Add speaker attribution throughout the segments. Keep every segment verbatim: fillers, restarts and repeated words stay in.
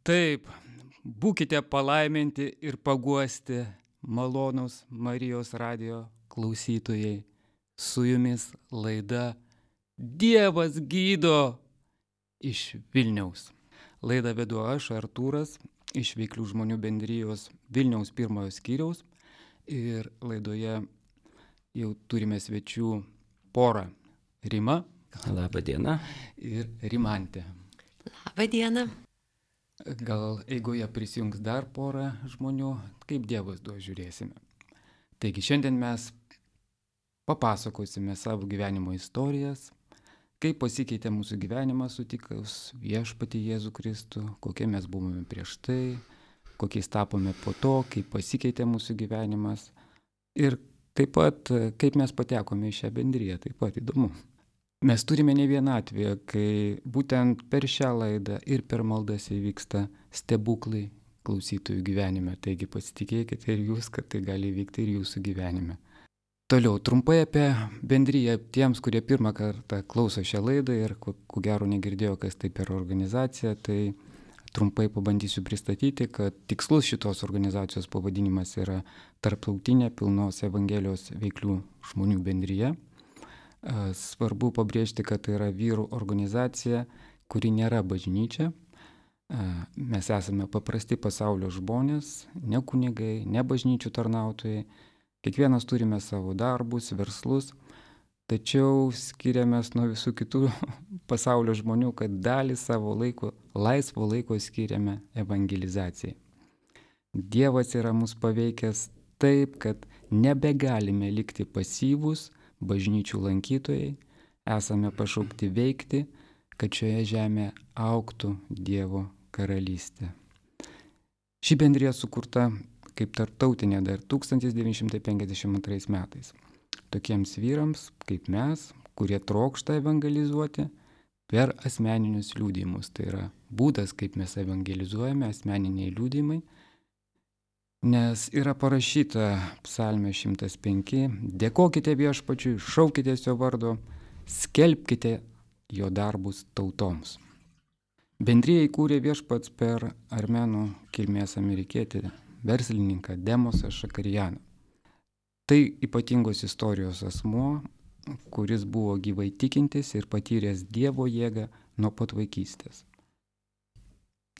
Speaker 1: Taip, būkite palaiminti ir paguosti, malonūs Marijos radijo klausytojai. Su jumis laida Dievas gydo iš Vilniaus. Laidą vedu aš, Artūras, iš Veiklių žmonių bendrijos Vilniaus pirmojo skyriaus. Ir laidoje jau turime svečių porą: Rima.
Speaker 2: Labą dieną.
Speaker 1: Ir Rimantė.
Speaker 3: Labą dieną.
Speaker 1: Gal eigoje prisijungs dar porą žmonių, kaip Dievas duos, žiūrėsime. Taigi šiandien mes papasakosime savo gyvenimo istorijas, kaip pasikeitė mūsų gyvenimas sutikus viešpatį Jėzų Kristų, kokie mes buvome prieš tai, kokiais tapome po to, kaip pasikeitė mūsų gyvenimas ir taip pat kaip mes patekome į šią bendriją, taip pat įdomu. Mes turime ne vieną atvejį, kai būtent per šią laidą ir per maldas įvyksta stebuklai klausytojų gyvenime. Taigi pasitikėkite ir jūs, kad tai gali įvykti ir jūsų gyvenime. Toliau, trumpai apie bendriją tiems, kurie pirmą kartą klauso šią laidą ir ko, ko gero negirdėjo, kas tai per organizacija, tai trumpai pabandysiu pristatyti, kad tikslus šitos organizacijos pavadinimas yra Tarptautinė pilnos Evangelijos veiklių žmonių bendrija. Svarbu pabrėžti, kad tai yra vyrų organizacija, kuri nėra bažnyčia. Mes esame paprasti pasaulio žmonės, ne kunigai, ne bažnyčių tarnautojai. Kiekvienas turime savo darbus, verslus, tačiau skiriamės nuo visų kitų pasaulio žmonių, kad dalį savo laiko, laisvo laiko skiriame evangelizacijai. Dievas yra mus paveikęs taip, kad nebegalime likti pasyvūs bažnyčių lankytojai, esame pašaukti veikti, kad šioje žemėje augtų Dievo karalystė. Ši bendrija sukurta kaip tarptautinė dar tūkstantis devyni šimtai penkiasdešimt antrais metais. Tokiems vyrams kaip mes, kurie trokšta evangelizuoti per asmeninius liudijimus. Tai yra būdas, kaip mes evangelizuojame, asmeniniai liudijimai. Nes yra parašyta psalmė šimtas penki, dėkokite viešpačiui, šaukitės jo vardo, skelbkite jo darbus tautoms. Bendriją įkūrė viešpats per armėnų kilmės amerikietį verslininką Demosą Šakarianą. Tai ypatingos istorijos asmuo, kuris buvo gyvai tikintis ir patyręs Dievo jėgą nuo pat vaikystės.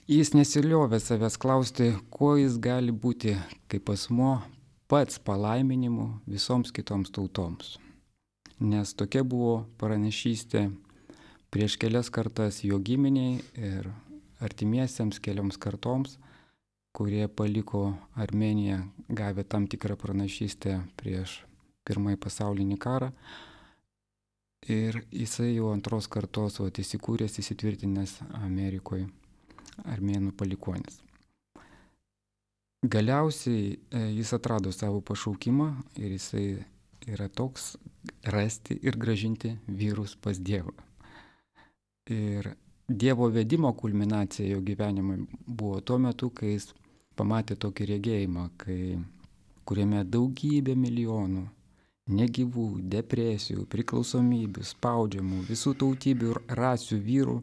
Speaker 1: Jis nesiliovė savęs klausti, kuo jis gali būti kaip asmuo pats palaiminimu visoms kitoms tautoms. Nes tokia buvo pranašystė prieš kelias kartas jo giminiai ir artimiesiems kelioms kartoms, kurie paliko Armėniją, gavę tam tikrą pranašystę prieš pirmąjį pasaulinį karą. Ir jisai jau antros kartos vat, įsikūręs, įsitvirtinęs Amerikoje. Armėnų palikuonis. Galiausiai jis atrado savo pašaukimą ir jisai yra toks rasti ir gražinti vyrus pas Dievą. Ir Dievo vedimo kulminacija jo gyvenimui buvo tuo metu, kai jis pamatė tokį regėjimą, kai, kuriame daugybė milijonų negyvų, depresijų, priklausomybių, spaudžiamų, visų tautybių ir rasių vyrų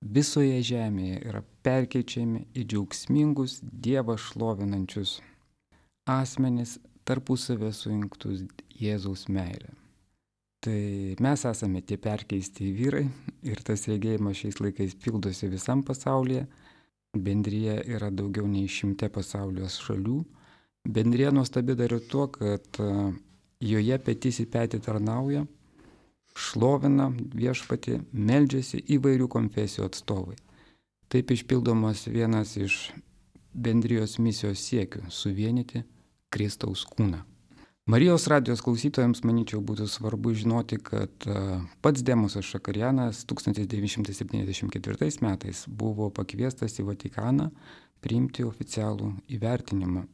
Speaker 1: visoje žemėje yra perkeičiami į džiaugsmingus Dievą šlovinančius asmenis tarpusavę sujungtus Jėzaus meilę. Tai mes esame tie perkeisti vyrai ir tas regėjimas šiais laikais pildosi visam pasaulyje. Bendrija yra daugiau nei šimte pasaulio šalių. Bendrija nuostabi dar ir tuo, kad joje petys į petį tarnauja, šlovina viešpatį, meldžiasi įvairių konfesijų atstovai. Taip išpildomas vienas iš bendrijos misijos siekių - suvienyti Kristaus kūną. Marijos radijos klausytojams, manyčiau, būtų svarbu žinoti, kad pats Demosas Šakarianas tūkstantis devyni šimtai septyniasdešimt ketvirtais metais buvo pakviestas į Vatikaną priimti oficialų įvertinimą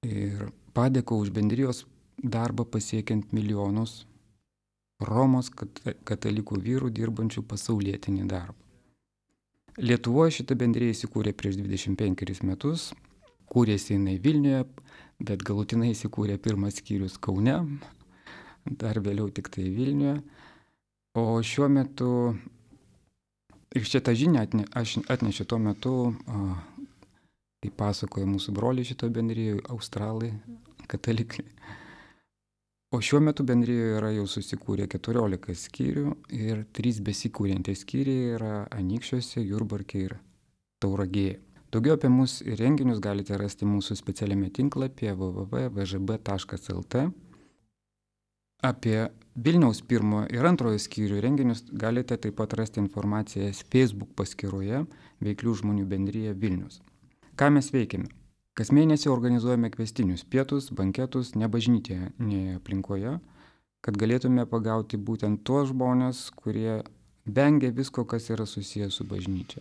Speaker 1: ir padėko už bendrijos darbą pasiekiant milijonus Romos katalikų vyrų dirbančių pasaulietinį darbą. Lietuvoje šita bendrija įsikūrė prieš dvidešimt penkerius metus, kūrėsi jinai Vilniuje, bet galutinai įsikūrė pirmas skyrius Kaune, dar vėliau tik tai Vilniuje. O šiuo metu Ir šitą žinią atne, aš atnešiu tuo metu, kaip pasakoja mūsų broliai šito bendrijoje, australai, katalikai. O šiuo metu bendrijoje yra jau susikūrę keturiolika skyrių ir trys besikūrintys skyriai yra Anykščiuose, Jurbarke ir Tauragėje. Daugiau apie mūsų ir renginius galite rasti mūsų specialiame tinklapyje w w w taškas v ž b taškas l t. Apie Vilniaus pirmojo ir antrojo skyrių renginius galite taip pat rasti informaciją Facebook paskyroje Veiklių žmonių bendrija Vilnius. Ką mes veikiame? Kas mėnesį organizuojame kvestinius pietus, banketus nebažnytinėje aplinkoje, kad galėtume pagauti būtent tuos žmonės, kurie vengia visko, kas yra susijęs su bažnyčia.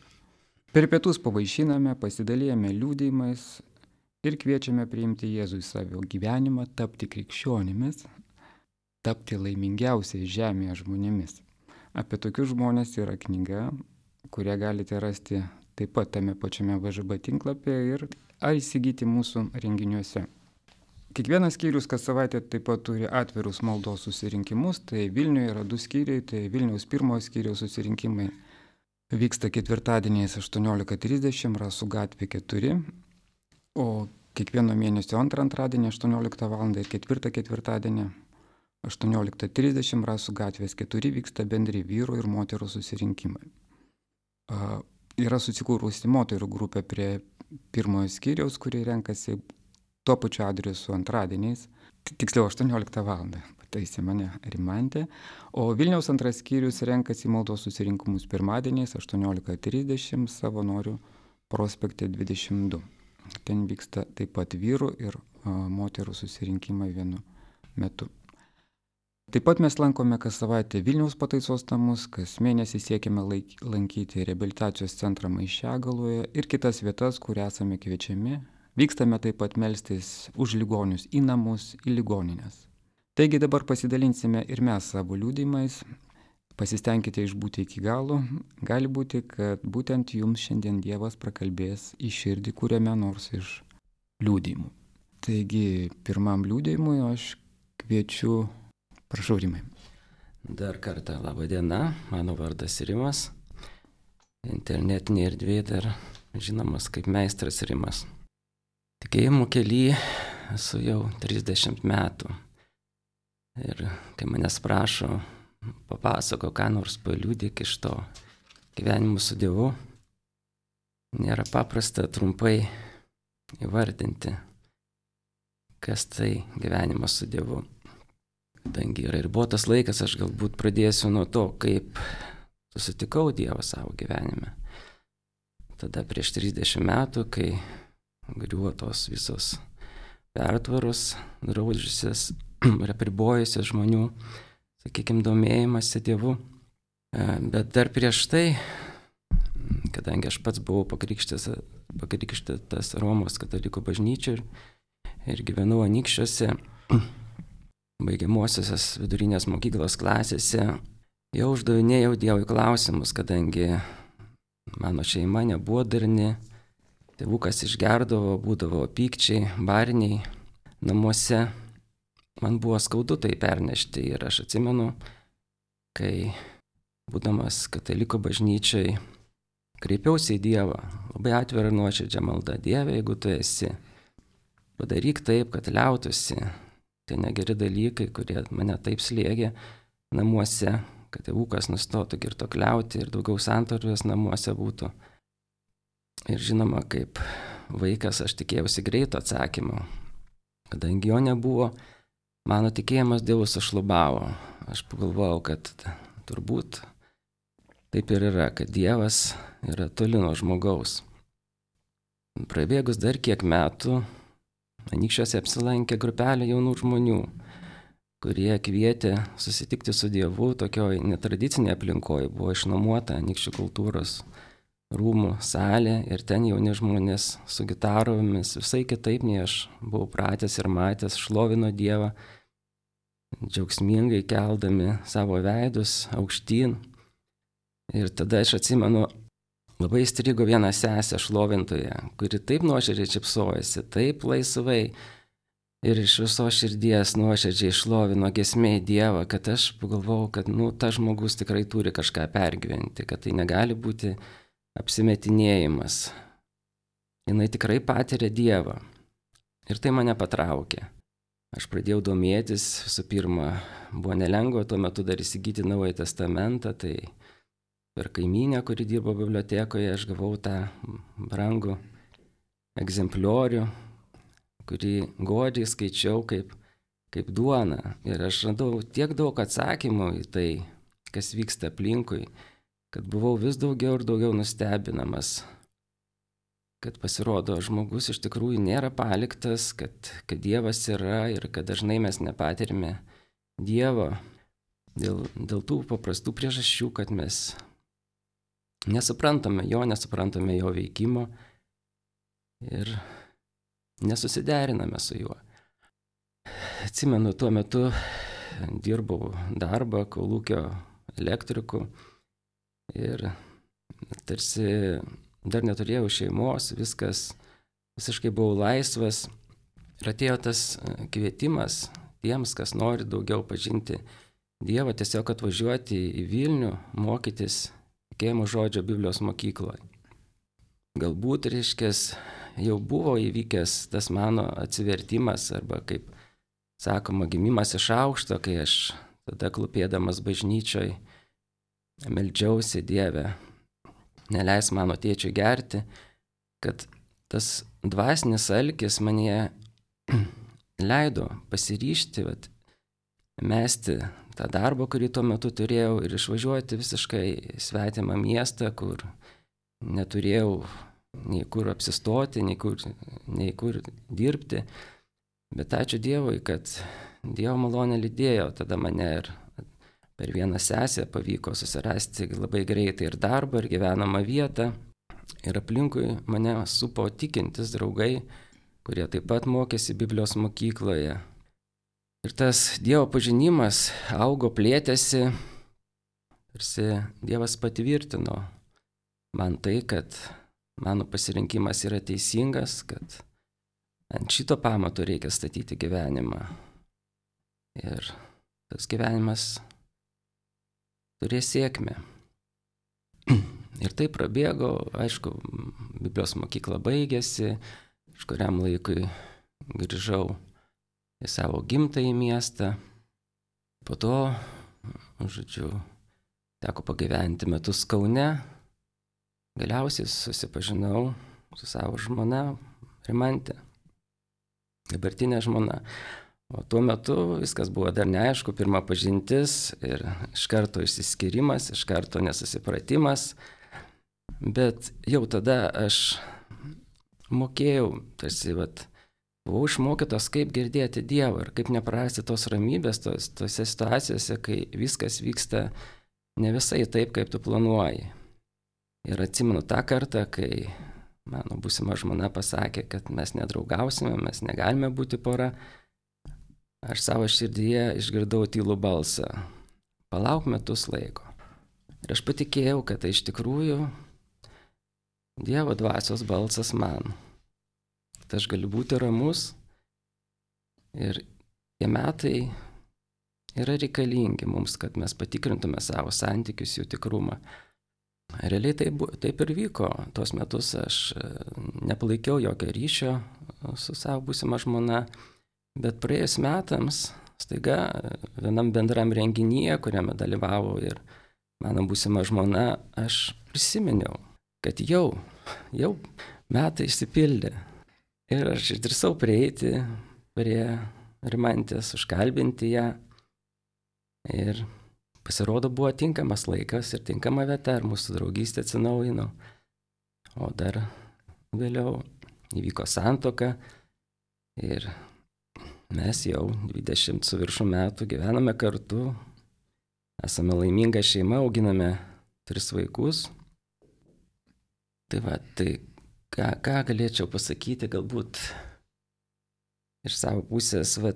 Speaker 1: Per pietus pavaišiname, pasidalijame liudijimais ir kviečiame priimti Jėzų į savo gyvenimą, tapti krikščionimis, tapti laimingiausiais žemėje žmonėmis. Apie tokius žmonės yra knyga, kurią galite rasti taip pat tame pačiame V Ž B tinklapyje ir ar įsigyti mūsų renginiuose. Kiekvienas skyrius kas savaitę taip pat turi atvirus maldos susirinkimus, tai Vilniuje yra du skyriai, tai Vilniaus pirmojo skyriaus susirinkimai vyksta ketvirtadieniais aštuoniolika trisdešimt, Rasų gatvė keturi, o kiekvieno mėnesio antrą antradienį aštuonioliktą valandą ir ketvirtą ketvirtadienį aštuonioliktą trisdešimt Rasų gatvės keturi vyksta bendri vyrų ir moterų susirinkimai. Uh, yra susikūrusi moterų grupė prie pirmojo skyriaus, kurie renkasi tuo pačiu adresu antradieniais, tiksliau aštuonioliktą valandą, pataisė mane Rimantė, o Vilniaus antras skyrius renkasi maldos susirinkimus pirmadieniais aštuoniolika trisdešimt Savanorių prospekte dvidešimt du. Ten vyksta taip pat vyrų ir a, moterų susirinkimai vienu metu. Taip pat mes lankome kas savaitę Vilniaus pataisos namus, kas mėnesį siekiame laik, lankyti reabilitacijos centrą Maišiagaloje ir kitas vietas, kur esame kviečiami. Vykstame taip pat melstis už ligonius į namus, į ligoninės. Taigi dabar pasidalinsime ir mes savo liudijimais. Pasistengkite išbūti iki galo. Gali būti, kad būtent jums šiandien Dievas prakalbės į širdį kuriame nors iš liudijimų. Taigi pirmam liudijimui aš kviečiu. Prašau, Rimai.
Speaker 2: Dar kartą laba diena, mano vardas Rimas. Internetinė erdvė dar žinomas kaip meistras Rimas. Tikėjimo kely esu jau trisdešimt metų. Ir kai manęs prašo, papasako, ką nors paliudyk iš to gyvenimo su Dievu, nėra paprasta trumpai įvardinti, kas tai gyvenimas su Dievu. Kadangi yra ribotas laikas, aš galbūt pradėsiu nuo to, kaip susitikau Dievą savo gyvenime. Tada prieš trisdešimt metų, kai griuvo tos visos pertvaros, draudžiusios ir apribojusios žmonių, sakykime, domėjimąsi Dievu. Bet dar prieš tai, kadangi aš pats buvau pakrikštytas, pakrikštytas Romos katalikų bažnyčioj ir, ir gyvenau Anykščiuose, baigiamosios vidurinės mokyklos klasėse, jau uždavinėjau Dievui klausimus, kadangi mano šeima nebuvo darni, tėvukas išgerdavo, būdavo pykčiai, barniai namuose. Man buvo skaudu tai pernešti ir aš atsimenu, kai būdamas kataliko bažnyčiai kreipiausi į Dievą, labai atvirą ir nuoširdžią maldą. Dieve, jeigu tu esi, padaryk taip, kad liautųsi tie negeri dalykai, kurie mane taip slėgė namuose, kad tėvukas nustotų girtuokliauti ir daugiau santarvės namuose būtų. Ir žinoma, kaip vaikas aš tikėjausi greito atsakymo. Kadangi jo nebuvo, mano tikėjimas Dievu sušlubavo. Aš pagalvojau, kad turbūt taip ir yra, kad Dievas yra toli nuo žmogaus. Prabėgus dar kiek metų, Anykščiuose apsilankė grupelė jaunų žmonių, kurie kvietė susitikti su Dievu tokioj netradicinėje aplinkoje. Buvo išnuomota Anykščių kultūros rūmų salė ir ten jauni žmonės su gitaromis visai kitaip nei aš buvau pratęs ir matęs, šlovino Dievą, džiaugsmingai keldami savo veidus aukštyn. Ir tada aš atsimenu, labai įstrigo viena sesė šlovintoja, kuri taip nuoširdžiai šypsojasi, taip laisvai, ir iš viso širdies nuoširdžiai šlovino giesmė į Dievą, kad aš pagalvojau, kad nu, tas žmogus tikrai turi kažką pergyventi, kad tai negali būti apsimetinėjimas. Jinai tikrai patiria Dievą. Ir tai mane patraukė. Aš pradėjau domėtis, visų pirma, buvo nelengva tuo metu dar įsigyti Naująjį testamentą, tai per kaimynę, kuri dirbo bibliotekoje, aš gavau tą brangų egzempliorių, kurį godžiai skaičiau kaip, kaip duona. Ir aš radau tiek daug atsakymų į tai, kas vyksta aplinkui, kad buvau vis daugiau ir daugiau nustebinamas, kad pasirodo žmogus iš tikrųjų nėra paliktas, kad, kad Dievas yra ir kad dažnai mes nepatirime Dievo dėl, dėl tų paprastų priežasčių, kad mes nesuprantame jo, nesuprantame jo veikimo ir nesusideriname su juo. Atsimenu, tuo metu dirbau darbą kolūkio elektriku ir tarsi dar neturėjau šeimos, viskas, visiškai buvau laisvas. Ir atėjo tas kvietimas tiems, kas nori daugiau pažinti Dievą, tiesiog atvažiuoti į Vilnių, mokytis tikėjimo žodžio Biblijos mokykloje. Galbūt, reiškės, jau buvo įvykęs tas mano atsivertimas, arba, kaip sakoma, gimimas iš aukšto, kai aš tada klūpėdamas bažnyčioj meldžiausi Dievę, neleis mano tėčiui gerti, kad tas dvasinis alkis mane leido pasiryžti, vat, mesti tą darbą, kurį tuo metu turėjau, ir išvažiuoti visiškai svetimą miestą, kur neturėjau nei kur apsistoti, nei kur, nei kur dirbti. Bet ačiū Dievui, kad Dievo malonė lydėjo tada mane ir per vieną sesę pavyko susirasti labai greitai ir darbą, ir gyvenamą vietą. Ir aplinkui mane supo tikintis draugai, kurie taip pat mokėsi Biblijos mokykloje. Ir tas Dievo pažinimas augo, plėtėsi, tarsi Dievas patvirtino man tai, kad mano pasirinkimas yra teisingas, kad ant šito pamato reikia statyti gyvenimą. Ir tas gyvenimas turės sėkmę. Ir tai prabėgo, aišku, Biblijos mokykla baigėsi, iš kuriam laikui grįžau į savo gimtąjį miestą. Po to, žodžiu, teko pagyventi metus Kaune. Galiausiai susipažinau su savo žmona Rimante, dabartinė žmona. O tuo metu viskas buvo dar neaišku, pirma pažintis ir iš karto išsiskyrimas, iš karto nesusipratimas. Bet jau tada aš mokėjau, tarsi, vat, buvau išmokytas, kaip girdėti Dievą ir kaip neprarasti tos ramybės tos, tose situacijose, kai viskas vyksta ne visai taip, kaip tu planuoji. Ir atsimenu tą kartą, kai mano būsima žmona pasakė, kad mes nedraugausime, mes negalime būti pora. Aš savo širdyje išgirdau tylų balsą. Palauk metus laiko. Ir aš patikėjau, kad tai iš tikrųjų Dievo dvasios balsas man. Kad aš galiu būti ramus ir tie metai yra reikalingi mums, kad mes patikrintume savo santykius, jų tikrumą. Realiai taip, taip ir vyko. Tuos metus aš nepalaikiau jokio ryšio su savo būsima žmona. Bet praėjus metams, staiga vienam bendram renginyje, kuriame dalyvavo ir mano būsima žmona, aš prisiminiau, kad jau, jau metai išsipildė. Ir aš išdrįsau prieiti prie Rimantės, užkalbinti ją. Ir pasirodo buvo tinkamas laikas ir tinkama vieta, ir mūsų draugystė atsinaujino. O dar vėliau įvyko santuoka ir mes jau dvidešimt su viršum metų gyvename kartu, esame laiminga šeima, auginame tris vaikus. Tai va, tai ką, ką galėčiau pasakyti, galbūt iš savo pusės, va,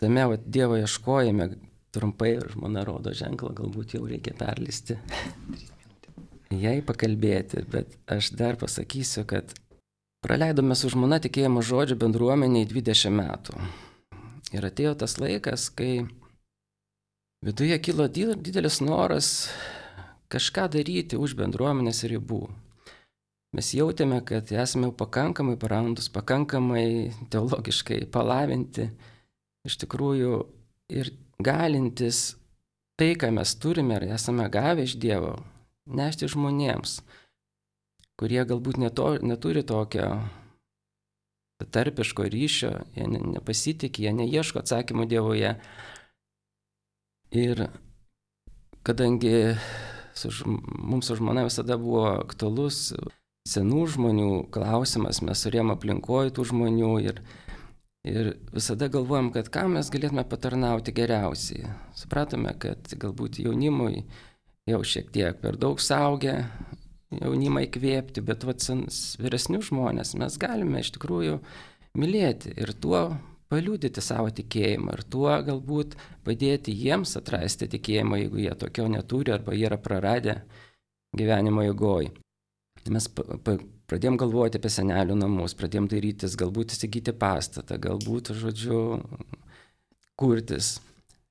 Speaker 2: tame va, Dievo ieškojime, trumpai žmona rodo ženklą, galbūt jau reikia perlisti, jai pakalbėti, bet aš dar pasakysiu, kad Praleidome su žmona tikėjimo žodžio bendruomeniai dvidešimt metų. Ir atėjo tas laikas, kai viduje kilo didelis noras kažką daryti už bendruomenės ribų. Mes jautėme, kad esame pakankamai brandus, pakankamai teologiškai palavinti, iš tikrųjų ir galintis tai, ką mes turime ir esame gavę iš Dievo, nešti žmonėms, kurie galbūt neto, neturi tokio tarpiško ryšio, jie ne, nepasitikė, jie neieško atsakymų Dievoje. Ir kadangi su, mums su žmona visada buvo aktualus senų žmonių klausimas, mes turėjom aplinkoje tų žmonių ir, ir visada galvojom, kad ką mes galėtume patarnauti geriausiai. Supratome, kad galbūt jaunimui jau šiek tiek per daug saugę, jaunimą įkvėpti, bet vat vyresnių žmonės mes galime iš tikrųjų mylėti ir tuo paliudyti savo tikėjimą ir tuo galbūt padėti jiems atrasti tikėjimą, jeigu jie tokio neturi arba jie yra praradę gyvenimo eigoj. Mes pradėjom galvoti apie senelių namus, pradėjom dairytis, galbūt įsigyti pastatą, galbūt, žodžiu, kurtis.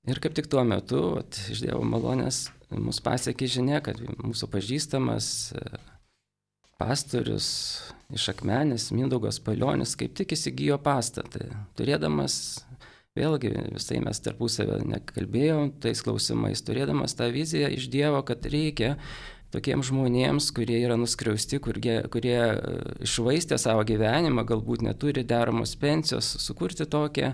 Speaker 2: Ir kaip tik tuo metu, vat, iš Dievo malonės, mus pasiekė žinia, kad mūsų pažįstamas pastorius iš Akmenės, Mindaugas Palionis, kaip tik įsigijo pastatą. Turėdamas, vėlgi visai mes tarpusavę nekalbėjom tais klausimais, turėdamas tą viziją iš Dievo, kad reikia tokiems žmonėms, kurie yra nuskriausti, kurie, kurie išvaistė savo gyvenimą, galbūt neturi deramos pensijos, sukurti tokią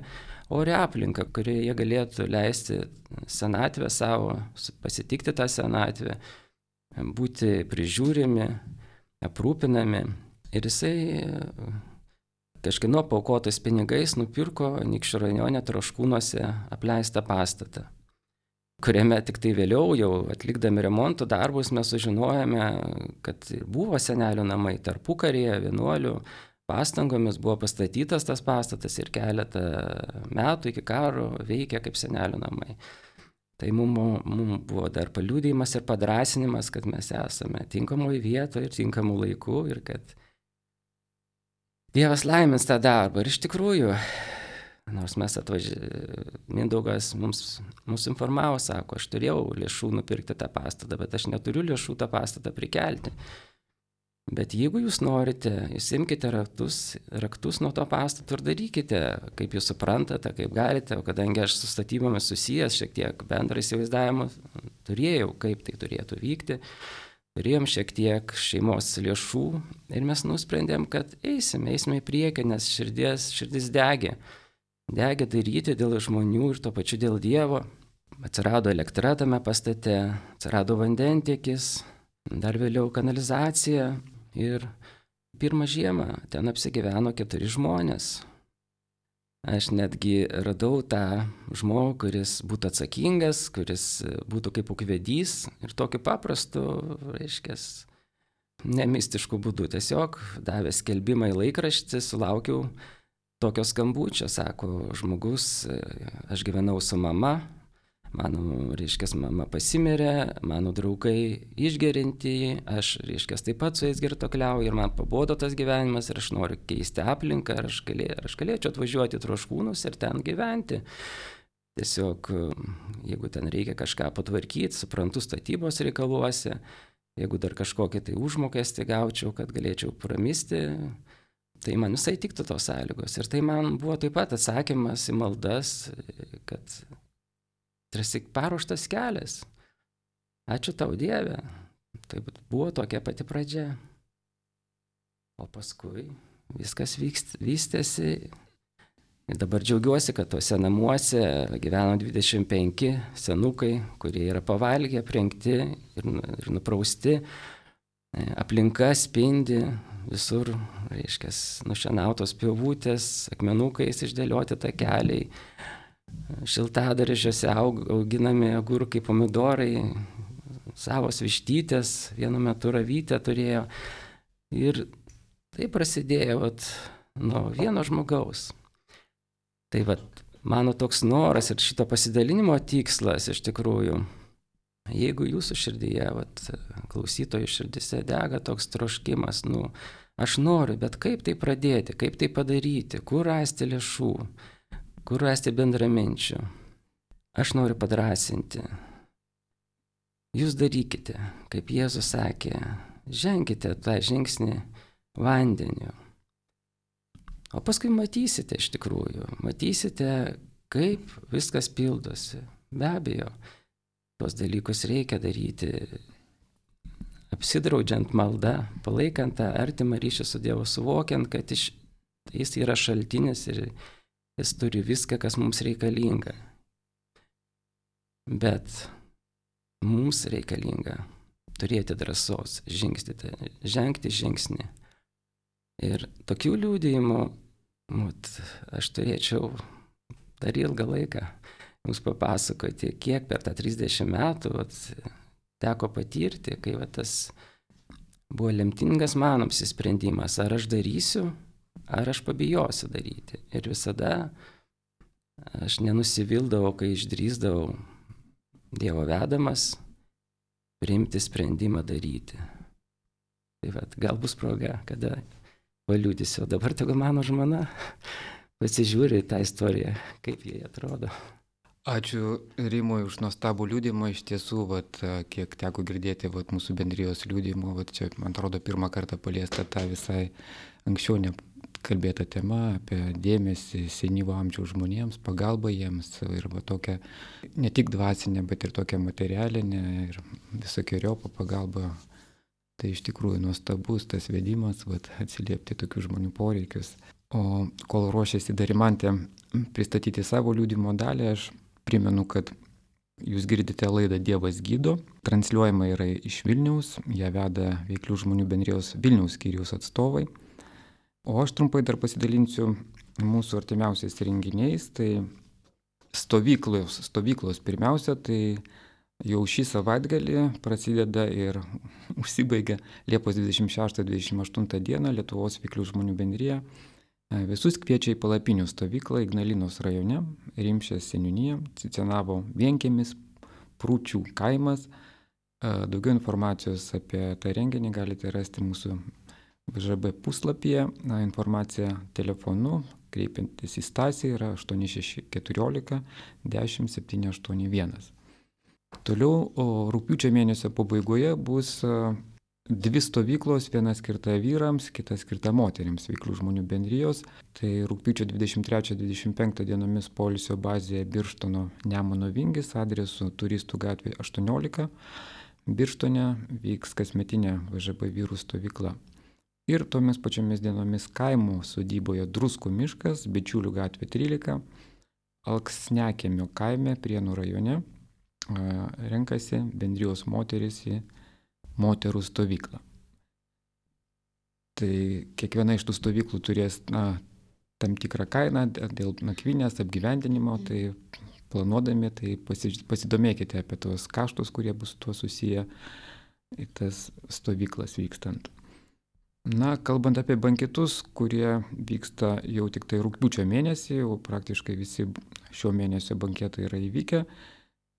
Speaker 2: orią aplinką, kurioje jie galėtų leisti senatvę savo, pasitikti tą senatvę, būti prižiūrimi, aprūpinami. Ir jisai kažkieno paaukotais pinigais nupirko Anykščių rajone Troškūnuose apleistą pastatą, kuriame tik tai vėliau, jau atlikdami remonto darbus, mes sužinojame, kad buvo senelių namai tarpukaryje, vienuolių pastangomis buvo pastatytas tas pastatas ir keletą metų iki karo veikia kaip senelių namai. Tai mums mum buvo dar paliudijimas ir padrasinimas, kad mes esame tinkamoje vietoje ir tinkamų laikų ir kad Dievas laimins tą darbą. Ir iš tikrųjų, nors mes atvažiavome, Mindaugas mums, mums informavo, sako, aš turėjau lėšų nupirkti tą pastatą, bet aš neturiu lėšų tą pastatą prikelti. Bet jeigu jūs norite, jūs imkite raktus, raktus nuo to pastato ir darykite, kaip jūs suprantate, kaip galite, o kadangi aš su statybomis susijęs šiek tiek bendrą įsivaizdavimą turėjau, kaip tai turėtų vykti, turėjom šiek tiek šeimos lėšų ir mes nusprendėm, kad eisime, eisime į priekį, nes širdis, širdis degė. Degė daryti dėl žmonių ir to pačiu dėl Dievo. Atsirado elektra tame pastate, atsirado vandentiekis, dar vėliau kanalizacija ir pirmą žiemą ten apsigyveno keturi žmonės. Aš netgi radau tą žmogų, kuris būtų atsakingas, kuris būtų kaip ūkvedys ir tokiu paprastu, reiškia, nemistišku būdu. Tiesiog davė skelbimą į laikraštį, sulaukiau tokio skambučio, sako žmogus, aš gyvenau su mama, mano, reiškia, mama pasimirė, mano draugai išgerinti, aš, reiškia, taip pat su jais girtokliauju ir man pabodo tas gyvenimas ir aš noriu keisti aplinką, ar aš, galė, ar aš galėčiau atvažiuoti į Troškūnus ir ten gyventi. Tiesiog, jeigu ten reikia kažką patvarkyti, suprantu statybos reikaluose, jeigu dar kažkokią tai užmokestį gaučiau, kad galėčiau pramisti, tai man visai tiktų tos sąlygos. Ir tai man buvo taip pat atsakymas į maldas, kad tarsi paruoštas kelias. Ačiū tau, Dieve. Tai buvo tokia pati pradžia. O paskui viskas vykst, vystėsi. Ir dabar džiaugiuosi, kad tuose namuose gyveno dvidešimt penki senukai, kurie yra pavalgę, aprengti ir, ir nuprausti. Aplinka spindi, visur, reiškia, nušienautos pievutės, akmenukais išdėlioti takeliai. Šiltadarižiuose auginami agurkai, pomidorai, savos vištytės, vienu metu ravytę turėjo. Ir tai prasidėjo vat, nuo vieno žmogaus. Tai vat, mano toks noras ir šito pasidalinimo tikslas iš tikrųjų, jeigu jūsų širdyje, vat, klausytojų širdise dega toks troškimas, nu, Aš noriu, bet kaip tai pradėti, kaip tai padaryti, kur rasti lėšų, kur rasti bendraminčių. Aš noriu padrasinti. Jūs darykite, kaip Jėzus sakė, ženkite tą žingsnį vandeniu. O paskui matysite iš tikrųjų, matysite, kaip viskas pildosi. Be abejo, tuos dalykus reikia daryti, apsidraudžiant maldą, palaikant tą artimą ryšį su Dievu, suvokiant, kad iš, jis yra šaltinis ir jis turi viską, kas mums reikalinga. Bet mums reikalinga turėti drąsos žingsnyti, žengti žingsnį. Ir tokių liudijimų vat, aš turėčiau dar ilgą laiką jums papasakoti, kiek per tą trisdešimt metų vat, teko patirti, kai vat, tas buvo lemtingas mano apsisprendimas, ar aš darysiu, ar aš pabijosiu daryti. Ir visada aš nenusivildavau, kai išdrįsdavau Dievo vedamas priimti sprendimą daryti. Tai vat, gal bus proga, kada paliudysiu. Dabar tegu mano žmona pasižiūri tą istoriją, kaip jie atrodo.
Speaker 1: Ačiū Rimui už nuostabų liudijimą. Iš tiesų, vat, kiek teko girdėti vat, mūsų bendrijos liudijimų, vat, čia, man atrodo, pirmą kartą paliesta tą visai anksčiau nekalbėta tema apie dėmesį senyvo amžiaus žmonėms, pagalbą jiems ir va, tokią ne tik dvasinę, bet ir tokią materialinę ir visokiojopą pagalbą. Tai iš tikrųjų nuostabus tas vedimas, vat, atsiliepti tokių žmonių poreikius. O kol ruošiasi Darimantė pristatyti savo liudijimo dalį, aš primenu, kad jūs girdite laidą Dievas gydo, transliuojama yra iš Vilniaus, ją veda Veiklių žmonių bendrijos Vilniaus skyriaus atstovai. O aš trumpai dar pasidalinsiu mūsų artimiausiais renginiais, tai stovyklos, stovyklos pirmiausia, tai jau šį savaitgalį prasideda ir užsibaigia Liepos dvidešimt šeštą dvidešimt aštuntą dieną Lietuvos Veiklių žmonių bendrija. Visus kviečia į palapinių stovyklą Ignalinos rajone, Rimšės seniūnija, Cicenavo vienkiemis, Prūčių kaimas. Daugiau informacijos apie tą renginį galite rasti mūsų V Ž B puslapyje. Na, informacija telefonu, kreipiantis į Stasį, yra aštuoni šeši keturiolika dešimt septyni aštuoni vienas. Toliau, o rugpjūčio mėnesio pabaigoje bus dvi stovyklos, viena skirta vyrams, kita skirta moterims Veiklių žmonių bendrijos. Tai rugpjūčio dvidešimt trečią dvidešimt penktą dienomis poilsio bazėje Birštono Nemuno Vingis adresu Turistų gatvė aštuoniolika. Birštone vyks kasmetinė V Ž B vyrų stovykla. Ir tomis pačiomis dienomis kaimo sodyboje Druskų miškas, Bičiulių gatvė trylika, Alksnekėmio kaime Prienų rajone renkasi bendrijos moteris į moterų stovyklą. Tai kiekviena iš tų stovyklų turės na, tam tikrą kainą dėl nakvynės, apgyvendinimo, tai planuodami, tai pasidomėkite apie tos kaštus, kurie bus su tuo susiję į tas stovyklas vykstant. Na, kalbant apie banketus, kurie vyksta jau tik tai rugpjūčio mėnesį, jau praktiškai visi šio mėnesio banketai yra įvykę.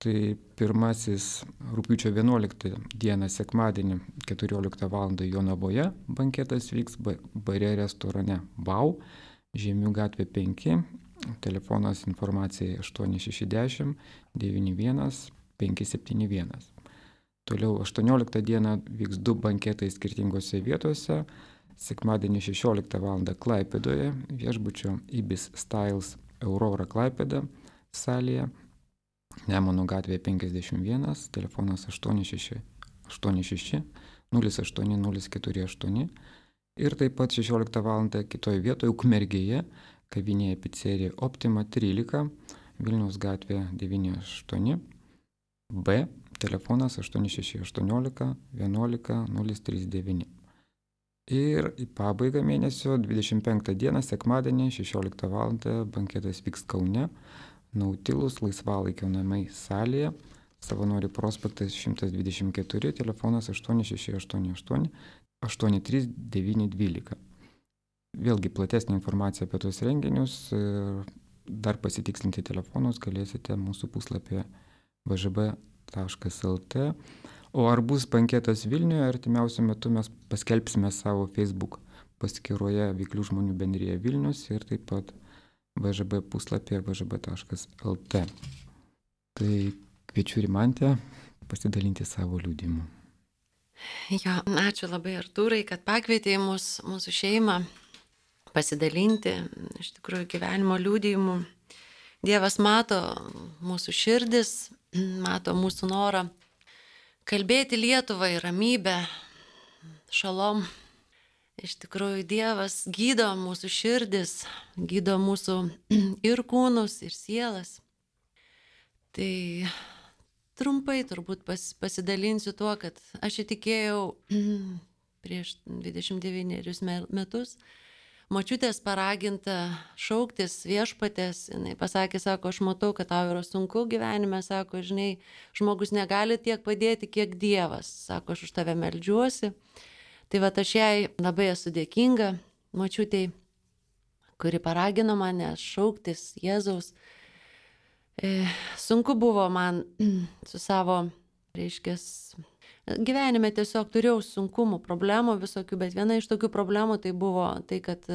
Speaker 1: Tai pirmasis rugpjūčio vienuoliktą dieną sekmadienį keturioliktą valandą Jonavoje banketas vyks bare restorane Bau, Žemių gatvė penki, telefonas informacijai aštuoni šeši dešimt devyni vienas penki septyni vienas. Toliau aštuonioliktą dieną vyks du banketai skirtingose vietose. Sekmadienį šešioliktą valandą Klaipėdoje, viešbučio Ibis Styles Aurora Klaipėda salėje. Nemuno gatvė penkiasdešimt vienas, telefonas aštuoni šeši aštuoni nulis aštuoni nulis keturi aštuoni. Ir taip pat šešioliktą valandą kitoje vietoje Ukmergėje, kavinėje picerija Optima trylika, Vilniaus gatvė devyni aštuoni B, telefonas aštuoni šeši aštuoniolika vienuolika nulis trys devyni. Ir į pabaigą mėnesio dvidešimt penktą dieną, sekmadienį, šešioliktą valandą banketas vyks Kaune, Nautilus laisvalaikio namai salėje, Savanorių prospektas šimtas dvidešimt keturi, telefonas aštuoni šeši aštuoni aštuoni aštuoni trys devyni dvylika. Vėlgi platesnė informacija apie tos renginius ir dar pasitikslinti telefonus galėsite mūsų puslapyje v ž b taškas l t. O ar bus banketas Vilniuje, artimiausiu metu mes paskelbsime savo Facebook paskyroje Veiklių žmonių bendrija Vilnius ir taip pat V Ž B puslapyje v ž b taškas l t. Tai kviečiu Rimantę pasidalinti savo liudijimu.
Speaker 3: Jo, ačiū labai Artūrai, kad pakvietėjai mus, mūsų šeimą pasidalinti iš tikrųjų gyvenimo liudijimu. Dievas mato mūsų širdis, mato mūsų norą kalbėti Lietuvai ramybę, šalom. Iš tikrųjų Dievas gydo mūsų širdis, gydo mūsų ir kūnus, ir sielas. Tai trumpai turbūt pas, pasidalinsiu tuo, kad aš įtikėjau prieš dvidešimt devynerius metus močiutės paraginta šauktis viešpatės. Jinai pasakė, sako, aš matau, kad tau yra sunku gyvenime, sako, žinai, žmogus negali tiek padėti, kiek Dievas. Sako, aš už tave meldžiuosi. Tai va, aš jai labai esu dėkinga močiutei, kuri paragino mane šauktis Jėzaus. E, sunku buvo man su savo, reiškės, gyvenime tiesiog turėjau sunkumų, problemų visokių, bet viena iš tokių problemų tai buvo tai, kad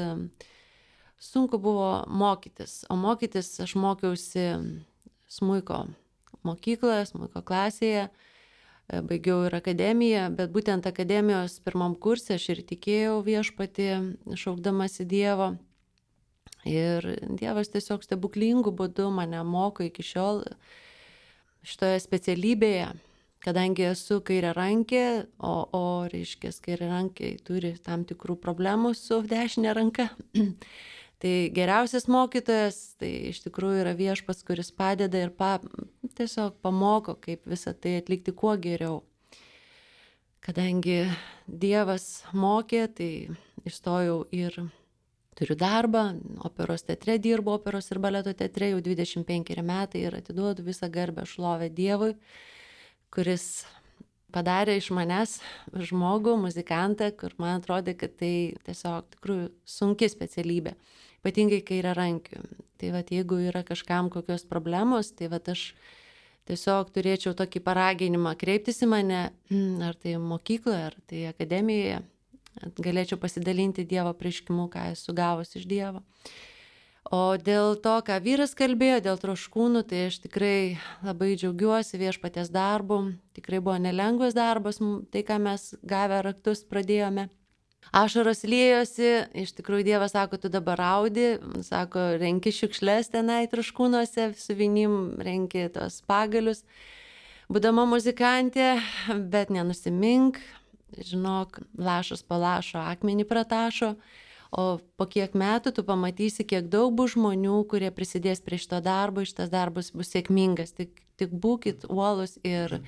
Speaker 3: sunku buvo mokytis. O mokytis aš mokiausi smuiko mokykloje, smuiko klasėje, baigiau ir akademiją, bet būtent akademijos pirmam kurse aš ir tikėjau viešpatį, šaukdamasi Dievo. Ir Dievas tiesiog stebuklingų būdų mane moko iki šiol šitoje specialybėje. Kadangi esu kairiarankė, o, o reiškia, kairiarankiai turi tam tikrų problemų su dešinė ranka, tai geriausias mokytojas, tai iš tikrųjų yra viešpats, kuris padeda ir pa, tiesiog pamoko, kaip visą tai atlikti kuo geriau. Kadangi Dievas mokė, tai įstojau ir turiu darbą, operos teatre dirbu, operos ir baleto teatre jau dvidešimt penkeri metai ir atiduodu visą garbę šlovę Dievui, kuris padarė iš manęs žmogų, muzikantą, kur man atrodė, kad tai tiesiog tikrųjų sunki specialybė, ypatingai kairiarankių. Tai vat, jeigu yra kažkam kokios problemos, tai vat, aš tiesiog turėčiau tokį paraginimą kreiptis į mane, ar tai mokykloje, ar tai akademijoje, galėčiau pasidalinti Dievo apreiškimu, ką esu gavus iš Dievo. O dėl to, ką vyras kalbėjo, dėl troškūnų, tai aš tikrai labai džiaugiuosi viešpaties darbu. Tikrai buvo nelengvas darbas, tai, ką mes gavę raktus pradėjome. Ašaros liejosi, iš tikrųjų Dievas sako, tu dabar raudi, sako, renki šiukšles tenai troškūnuose, su vinim renki tos pagalius. Būdama muzikantė, bet nenusimink, žinok, lašas po lašo akmenį pratašo. O po kiek metų tu pamatysi, kiek daug bus žmonių, kurie prisidės prie šito darbo, šitas darbas bus sėkmingas. Tik, tik būkit uolus ir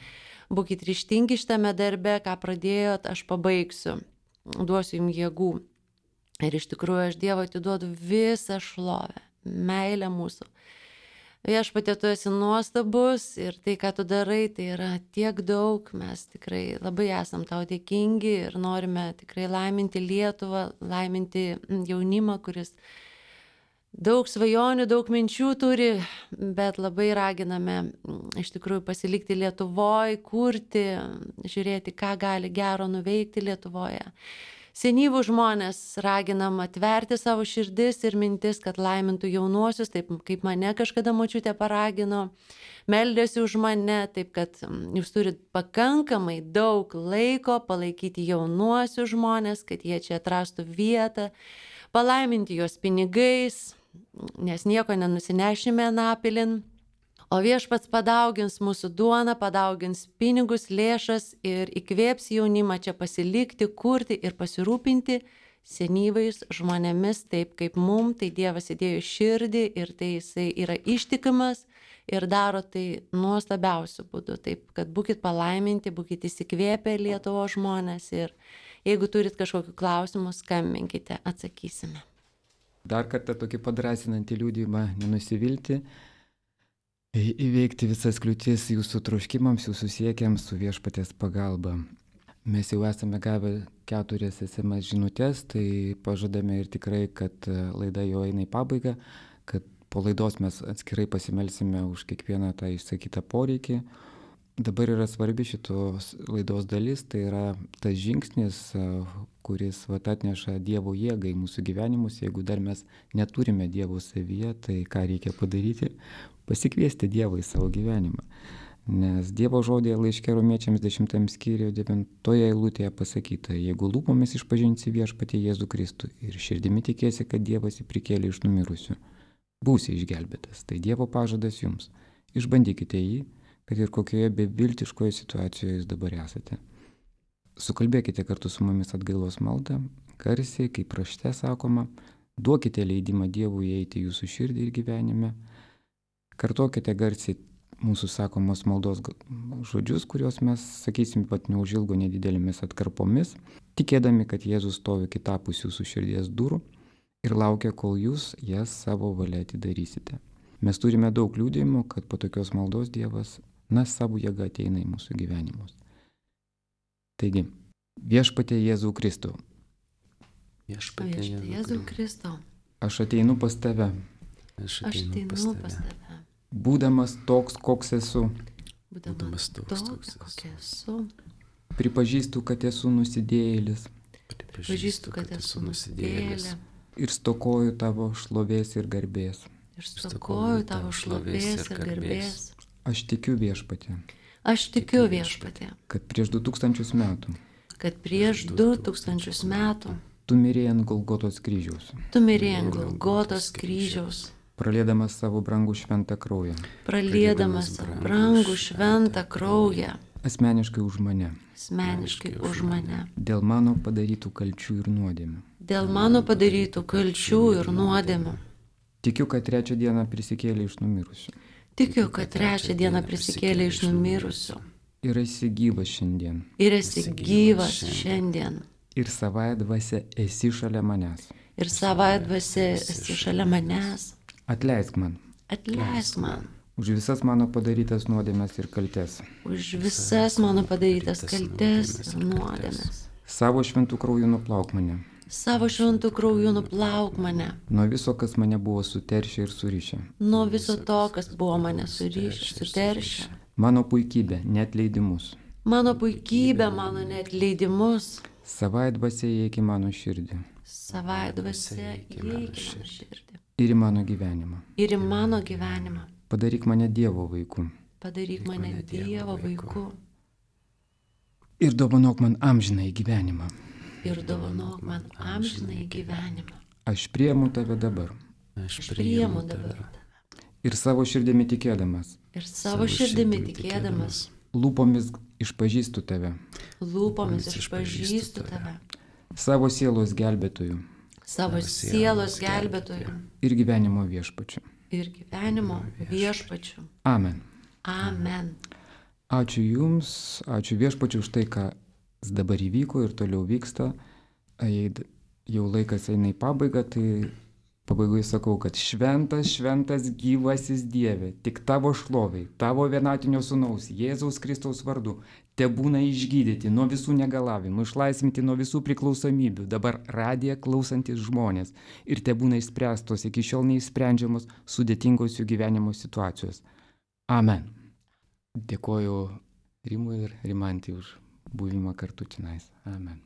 Speaker 3: būkit ryžtingi šitame darbe, ką pradėjot, aš pabaigsiu, duosiu jums jėgų. Ir iš tikrųjų aš Dievo atiduodu visą šlovę, meilę mūsų. Viešpatie, tu esi nuostabus ir tai, ką tu darai, tai yra tiek daug, mes tikrai labai esam tau dėkingi ir norime tikrai laiminti Lietuvą, laiminti jaunimą, kuris daug svajonių, daug minčių turi, bet labai raginame iš tikrųjų pasilikti Lietuvoje, kurti, žiūrėti, ką gali gero nuveikti Lietuvoje. Senyvų žmonės raginam atverti savo širdis ir mintis, kad laimintų jaunuosius, taip kaip mane kažkada močiutė paragino, meldėsi už mane, taip kad jūs turit pakankamai daug laiko palaikyti jaunuosius žmonės, kad jie čia atrastų vietą, palaiminti juos pinigais, nes nieko nenusinešime anapilin. O viešpats padaugins mūsų duoną, padaugins pinigus, lėšas ir įkvėps jaunimą čia pasilikti, kurti ir pasirūpinti senyvais žmonėmis, taip kaip mum, tai Dievas įdėjo širdį ir tai jisai yra ištikimas ir daro tai nuostabiausiu būdu. Taip, kad būkit palaiminti, būkit įsikvėpę Lietuvos žmonės ir jeigu turit kažkokių klausimų, skambinkite, atsakysime.
Speaker 1: Dar kartą tokį padrasinantį liudijimą, nenusivilti. Įveikti visas kliūtis jūsų troškimams, jūsų siekiams su viešpaties pagalba. Mes jau esame gavę keturias es em es žinutės, tai pažadame ir tikrai, kad laida jau eina į pabaigą, kad po laidos mes atskirai pasimelsime už kiekvieną tą išsakytą poreikį. dabar yra svarbi šitos laidos dalis, tai yra tas žingsnis, kuris vat, atneša Dievo jėgą į mūsų gyvenimus. Jeigu dar mes neturime Dievo savyje, tai ką reikia padaryti? Pasikviesti Dievą į savo gyvenimą. Nes Dievo žodėje laiške Romiečiams dešimtam skyriuje devintoje eilutėje pasakyta: jeigu lūpomis išpažinsi viešpatį Jėzų Kristų ir širdimi tikėsi, kad Dievas jį prikėlė iš numirusių, būsi išgelbėtas. Tai Dievo pažadas jums. Išbandykite jį, kad ir kokioje beviltiškoje situacijoje jūs dabar esate. Sukalbėkite kartu su mumis atgailos maldą, garsiai, kaip rašte sakoma, duokite leidimą Dievui įeiti į jūsų širdį ir gyvenime. Kartokite garsiai mūsų sakomos maldos žodžius, kuriuos mes sakysim pat neužilgo nedidelėmis atkarpomis, tikėdami, kad Jėzus stovi kitapus jūsų širdies durų ir laukia, kol jūs jas savo valia atidarysite. Mes turime daug liudijimų, kad po tokios maldos Dievas, na, savo jėga ateina į mūsų gyvenimus. Taigi, viešpatie Jėzau Kristau.
Speaker 2: Viešpatie
Speaker 3: Jėzau Kristau.
Speaker 1: Aš ateinu pas tave.
Speaker 2: Aš
Speaker 3: Aš
Speaker 2: ateinu pas
Speaker 3: ateinu pas
Speaker 2: tave.
Speaker 3: tave.
Speaker 1: Būdamas toks, koks esu,
Speaker 3: Būdamas toks, kokia esu.
Speaker 1: pripažįstu, kad esu nusidėjėlis
Speaker 3: Pažįstu, kad esu nusidėjėlė.
Speaker 1: ir stokoju tavo šlovės ir garbės.
Speaker 3: Ir stokoju tavo šlovės ir garbės.
Speaker 1: Aš tikiu viešpatį,
Speaker 3: Aš tikiu viešpatė,
Speaker 1: kad prieš du tūkstančius metų
Speaker 3: kad prieš du tūkstančius metų
Speaker 1: tu mirėjai ant Golgotos kryžiaus,
Speaker 3: tu mirėjai ant Golgotos kryžiaus,
Speaker 1: praliedamas savo brangų šventą kraują,
Speaker 3: praliedamas brangų šventą kraują,
Speaker 1: asmeniškai už mane,
Speaker 3: asmeniškai už mane,
Speaker 1: dėl mano padarytų kalčių ir nuodėmių.
Speaker 3: dėl mano padarytų kalčių ir nuodėmių.
Speaker 1: Tikiu, kad trečią dieną prisikėlė iš numirusių
Speaker 3: Tikiu, kad trečią dieną prisikėlė iš numirusių
Speaker 1: ir esi gyvas šiandien.
Speaker 3: ir esi gyvas šiandien.
Speaker 1: Ir savąją dvasią esi šalia manęs.
Speaker 3: Ir savąją dvasią esi šalia manęs.
Speaker 1: Atleisk man
Speaker 3: Atleisk man
Speaker 1: už visas mano padarytas nuodėmes ir kaltes.
Speaker 3: už visas mano padarytas kaltes ir nuodėmes.
Speaker 1: Savo šventų krauju nuplauk mane
Speaker 3: Savo šventų krauju nuplauk mane
Speaker 1: nuo viso, kas mane buvo suteršę ir surišę.
Speaker 3: nuo viso to, kas buvo mane surišę, suteršę.
Speaker 1: Mano puikybė, neatleidimus.
Speaker 3: Mano puikybė, mano neatleidimus.
Speaker 1: Savąją dvasią įeik į mano širdį
Speaker 3: Savąją dvasią įeik į mano širdį.
Speaker 1: ir į mano gyvenimą.
Speaker 3: Ir į mano gyvenimą.
Speaker 1: Padaryk mane Dievo vaiku
Speaker 3: Padaryk mane Dievo vaiku.
Speaker 1: ir dovanok man amžinąjį gyvenimą.
Speaker 3: Ir dovanok man amžinąjį gyvenimą.
Speaker 1: Aš priimu tave dabar
Speaker 2: Aš
Speaker 3: Aš priimu dabar.
Speaker 1: ir savo širdimi tikėdamas,
Speaker 3: Ir savo širdimi tikėdamas,
Speaker 1: lūpomis išpažįstu tave,
Speaker 3: lūpomis išpažįstu tave,
Speaker 1: savo sielos gelbėtoju
Speaker 3: savo sielos gelbėtoju
Speaker 1: ir gyvenimo viešpačiu.
Speaker 3: ir gyvenimo viešpačiu.
Speaker 1: Amen.
Speaker 3: Amen.
Speaker 1: Ačiū Jums, ačiū viešpačiu už tai, ką dabar įvyko ir toliau vyksta. Jei d- jau laikas eina į pabaigą, tai pabaigoje sakau, kad šventas, šventas gyvasis Dieve, tik tavo šloviai, tavo vienatinio sūnaus, Jėzaus Kristaus vardu, te būna išgydyti nuo visų negalavimų, išlaisvinti nuo visų priklausomybių, dabar radiją klausantis žmonės ir te būna išspręstos iki šiol neįsprendžiamos sudėtingos jų gyvenimo situacijos. Amen. Dėkoju Rimui ir Rimantį už buvimą kartu čionais. Amen.